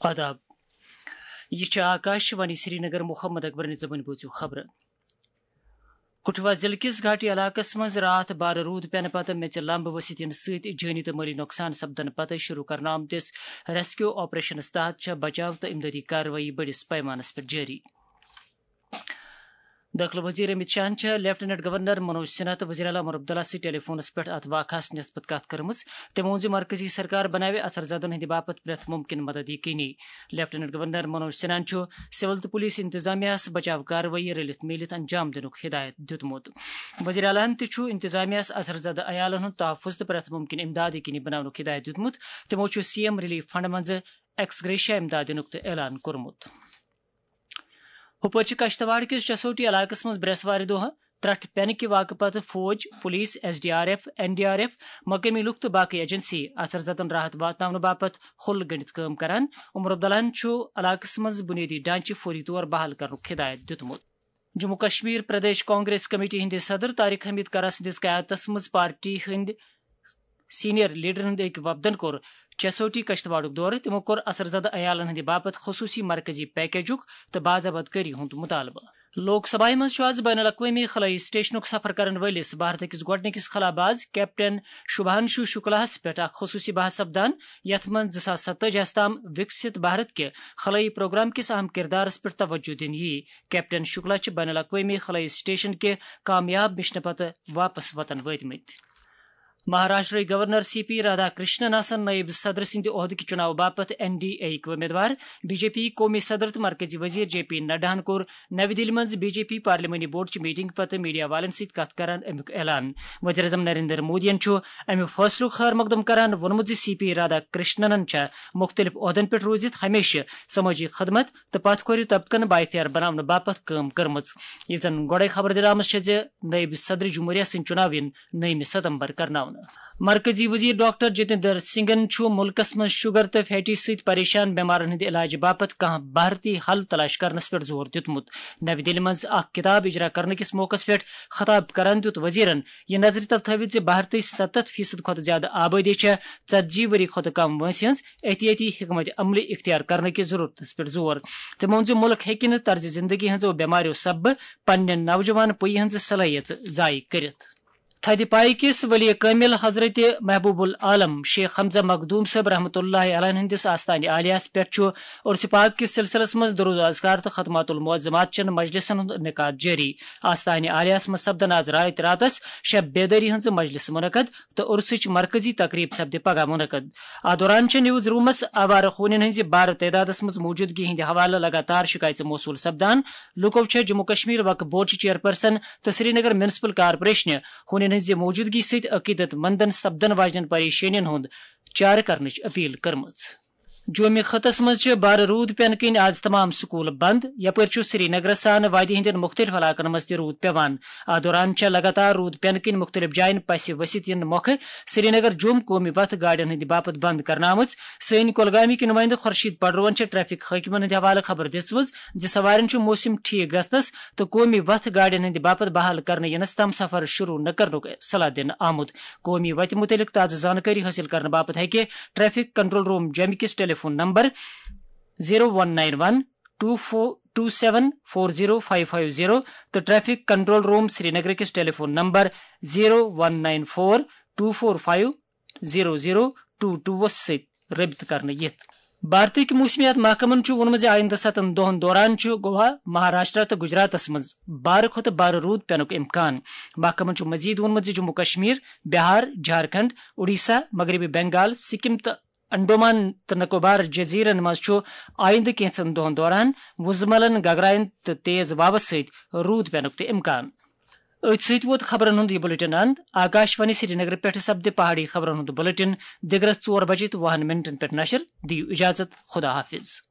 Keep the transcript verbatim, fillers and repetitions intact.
آداب۔ یہ چھِ آکاش وانی سرینگر۔ محمد اکبرن زبٲنۍ بوٗزِو خبرٕ۔ کٹھوا ضلعہٕ کِس گھاٹی علاقس منٛز راتھ بارٕ روٗد پٮ۪نہٕ پتہٕ میٚژِ لمبہٕ ؤسِتھ یِنہٕ سۭتۍ جٲنی تہٕ مٲلی نۄقصان سپدنہٕ پتہٕ شروع کرنہٕ آمتِس ریسکیو آپریشنس تحت چھےٚ بچاو تہٕ امدادی کاروٲیی بٔڑِس پیمانس پٮ۪ٹھ جٲری۔ دٲخلہٕ وزیر امت شاہن چھےٚ لیفٹیننٹ گورنر منوج سنہا تہٕ وزیر اعلیٰ عمر عبداللہ سۭتۍ ٹیلی فونس پٮ۪ٹھ اتھ واقعس نسبت کتھ کٔرمٕژ۔ تٔمۍ ووٚن زِ مرکزی سرکار بناوِ اثر زدن ہٕنٛدِ باپتھ پرٛٮ۪تھ مُمکِن مدد یقینی۔ لیفٹیننٹ گورنر منوج سنہاہن چھُ سول تہٕ پولیس انتظامیہ ہَس بچاو کاروٲیی رٔلِتھ میٖلِتھ انجام دِنُک ہدایت دیُتمُت۔ وزیر اعلیٰ ہَن تہِ چھُ انتظامیہ ہَس اثر زدٕ عیالَن ہُنٛد تحفظ تہٕ پرٛٮ۪تھ مُمکِن امداد یقینی بناونُک ہدایت دیُتمُت۔ تِمو چھُ سی ایم ریلیف فنڈ منٛزٕ ایکس گریشیا امداد دِنُک تہِ اعلان کوٚرمُت۔ ہُپٲرۍ چھِ کشتواڑ کِس چسوٹی علاقَس منٛز برٛٮ۪سوارِ دۄہ ترٛٹھ پٮ۪نہٕ کہِ واقعہٕ پتہٕ فوج، police, S D R F, N D R F, مقٲمی لُکھ تہٕ باقٕے ایجنسی اثر زدن راحت واتناونہٕ باپتھ ہُل گٔنڈِتھ کٲم کران۔ عمر عبداللہن چھُ علاقس منٛز بُنیٲدی ڈھانچہٕ فوری طور بحال کرنُک ہدایت دیُتمُت۔ جموں کشمیر پردیش کانگریس کمیٹی ہٕنٛدِ صدر طارق حمید کرا سٕنٛدِس قیادتس منٛز پارٹی ہٕنٛدۍ سینئر لیڈرن ہٕنٛدۍ أکۍ وفدن کوٚر چسوٹی کشتواڑُک دورٕ۔ تِمو کوٚر اثر زدٕ عیالن ہٕنٛدِ باپتھ خصوٗصی مرکزی پیکیجُک تہٕ باضابطہ کٲری ہُنٛد مطالبہٕ۔ لوک سبھایہ منٛز چھُ آز بین الاقوٲمی خلٲیی سٹیشنُک سفر کرن وٲلِس بھارتٕکِس گۄڈٕنِکِس خلاباز کیپٹن شبھانشو شکلاہس پٮ۪ٹھ اکھ خصوٗصی بحث سپدان، یتھ منٛز زٕ ساس ستٲجی ہَس تام وکست بھارت کہِ خلٲیی پروگرام کِس اہم کردارس پٮ۪ٹھ توجہ دِنہٕ یِیہِ۔ کیپٹن شکلا چھِ بین الاقوٲمی خلٲیی سٹیشن کہِ کامیاب مشنہٕ پتہٕ واپس وطن وٲتمٕتۍ۔ مہاراشٹرٕکۍ governor C P Radha Krishnan آسن نٲیِب صدر سٕنٛدِ عہدٕکہِ چُناوٕ باپتھ این ڈی اے یِکۍ وۄمیدوار۔ بی جے پی قومی صدر تہٕ مرکزی وزیر جے پی نڈاہن کوٚر نَوِ دِلہِ منٛز بی جے پی پارلیمانی بورڈ چہِ میٹنگ پتہٕ میڈیا والٮ۪ن سۭتۍ کتھ کران امیُک اعلان۔ وزیر اعظم نریندر مودیَن چھُ امہِ فٲصلُک خیر مقدم کران ووٚنمُت زِ سی پی رادھا کرشننن چھےٚ مُختٔلِف عہدن پٮ۪ٹھ روٗزِتھ ہمیشہِ سمٲجی خدمت تہٕ پتھ کھورِ طبقن بااختیار بناونہٕ باپتھ کٲم کٔرمٕژ۔ یہِ زن گۄڈے خبر دِنہٕ آمٕژ چھےٚ زِ نٲیِب صدر جمہوریہ سٕنٛدۍ چُناو یِن نٔیمہِ ستمبر کرناونہٕ۔ مرکزی وزیر ڈاکٹر جتیندر سنگھن چھُ مُلکَس منٛز شوگر تہٕ فیٹی سۭتۍ پریشان بیمارن ہٕنٛدِ علاجہٕ باپتھ کانٛہہ بھارتی حل تلاش کرنَس پٮ۪ٹھ زور دیُتمُت۔ نَوِ دِلہِ منٛز اکھ کِتاب اجرا کرنہٕ کِس موقعس پٮ۪ٹھ خطاب کران دیُت وزیرن یہِ نظرِ تل تھٲوِتھ زِ بھارتٕچ ستتھ فیصد کھۄتہٕ زیادٕ آبٲدی چھےٚ ژتجی ؤری کھۄتہٕ کم وٲنٛسہِ ہٕنٛز۔ احتیاطی حکمت عملی اختیار کرنہٕ کِس ضرورتس پٮ۪ٹھ زور۔ تٔمۍ ووٚن زِ مُلک ہیٚکہِ نہٕ طرزِ زندگی ہٕنٛزو بٮ۪ماریو سببہٕ پننہِ نوجوان پُیہِ ہٕنٛز صلٲحیژ ضایع کٔرِتھ۔ تھدِ پایہِ کِس ولی کٲمِل حضرت محبوب العالم شیخ حمزہ مخدوم صٲب رحمتہ اللہ علیہ ہٕنٛدِس آستانہِ عالیہس پٮ۪ٹھ چھُ عرس پاک کِس سلسلس منٛز درود و اذکار تہٕ ختمات المعظمات چٮ۪ن مجلسن ہُنٛد انعقاد جٲری۔ آستانہِ عالیہس منٛز سپدن آز راتھ راتس شب بیدٲری ہٕنٛز مجلس منعقد تہٕ عرسٕچ مرکزی تقریب سپدِ پگاہ منعقد۔ اتھ دوران چھِ نیوز رومس آوارٕ ہونٮ۪ن ہٕنٛزِ بارٕ تعدادس منٛز موجودگی ہٕنٛدِ حوالہٕ لگاتار شکایژٕ موصول سپدان۔ لوٗکو چھےٚ جموں کشمیر وقف بورڈ چہِ چیئرپرسن تہٕ سرینگر میونسپل کارپوریشنہِ ہونٮ۪ن ہٕنٛزِ موجودگی سۭتۍ عقیدت مندن سپدن واجنٮ۪ن پریشٲنین ہُنٛد چارٕ کرنٕچ اپیل کٔرمٕژ۔ جومہِ خطس منٛز چھِ بارٕ روٗد پٮ۪نہٕ کِنۍ آز تمام سکوٗل بنٛد، یپٲرۍ چھُ سرینگرس سان وادی ہٕنٛدٮ۪ن مُختٔلِف علاقن منٛز تہِ روٗد پٮ۪وان۔ اتھ دوران چھےٚ لگاتار روٗد پٮ۪نہٕ کِنۍ مُختٔلِف جاین پسہِ ؤسِتھ یِنہٕ مۄکھٕ سرینگر جوم قومی وتھ گاڑٮ۪ن ہٕنٛدِ باپتھ بنٛد کرنہٕ آمٕژ۔ سٲنۍ کۄلگامٕکۍ نُمٲیندٕ خورشید پڈروہن چھےٚ ٹریفک حٲکمن ہٕنٛدِ حوالہٕ خبر دِژمٕژ زِ سوارٮ۪ن چھُ موسم ٹھیک گژھنس تہٕ قومی وتھ گاڑٮ۪ن ہٕنٛدِ باپتھ بحال کرنہٕ یِنس تام سفر شروع نہٕ کرنُک صلاح دِنہٕ آمُت۔ قومی وتہِ مُتعلق تازٕ زانکٲری حٲصِل کرنہٕ باپتھ ہیٚکہِ ٹریفک کنٹرول روم جومہِ کِس telephone number zero one nine one two four two seven four zero five five zero تہٕ ٹریفک کنٹرول روم سرینگر کِس telephone number zero one nine four two four five zero zero two two وَس سۭتۍ رٲبطہٕ کرنہٕ یِتھ۔ بھارتٕکۍ موسمیات محکمن چھُ ووٚنمُت زِ آیندٕ ستن دۄہَن دوران چھُ گوا، مہاراشٹرا تہٕ گجراتس منٛز بارٕ کھۄتہٕ بارٕ روٗد پینُک امکان۔ محکمن چھُ مزید ووٚنمُت زِ جموں کشمیر، بہار، جھارکھنڈ، اوڈیشہ، مغربی بنگال، سکم تہٕ انڈومان تہٕ نکوبار جزیرن منٛز چھُ آیندٕ کینٛژن دۄہَن دوران وُزملن، گگراین تہٕ تیز واوس سۭتۍ روٗد پینُک تہِ امکان۔ أتھۍ سۭتۍ ووت خبرن ہُنٛد یہِ بلیٹن اند۔ آکاش وانی سرینگر پٮ۪ٹھ سپدِ پہاڑی خبرن ہُنٛد بلیٹن دِگرس ژور بجے تہٕ وُہن منٹن پٮ۪ٹھ نشر۔ دِیِو اجازت، خدا حافظ۔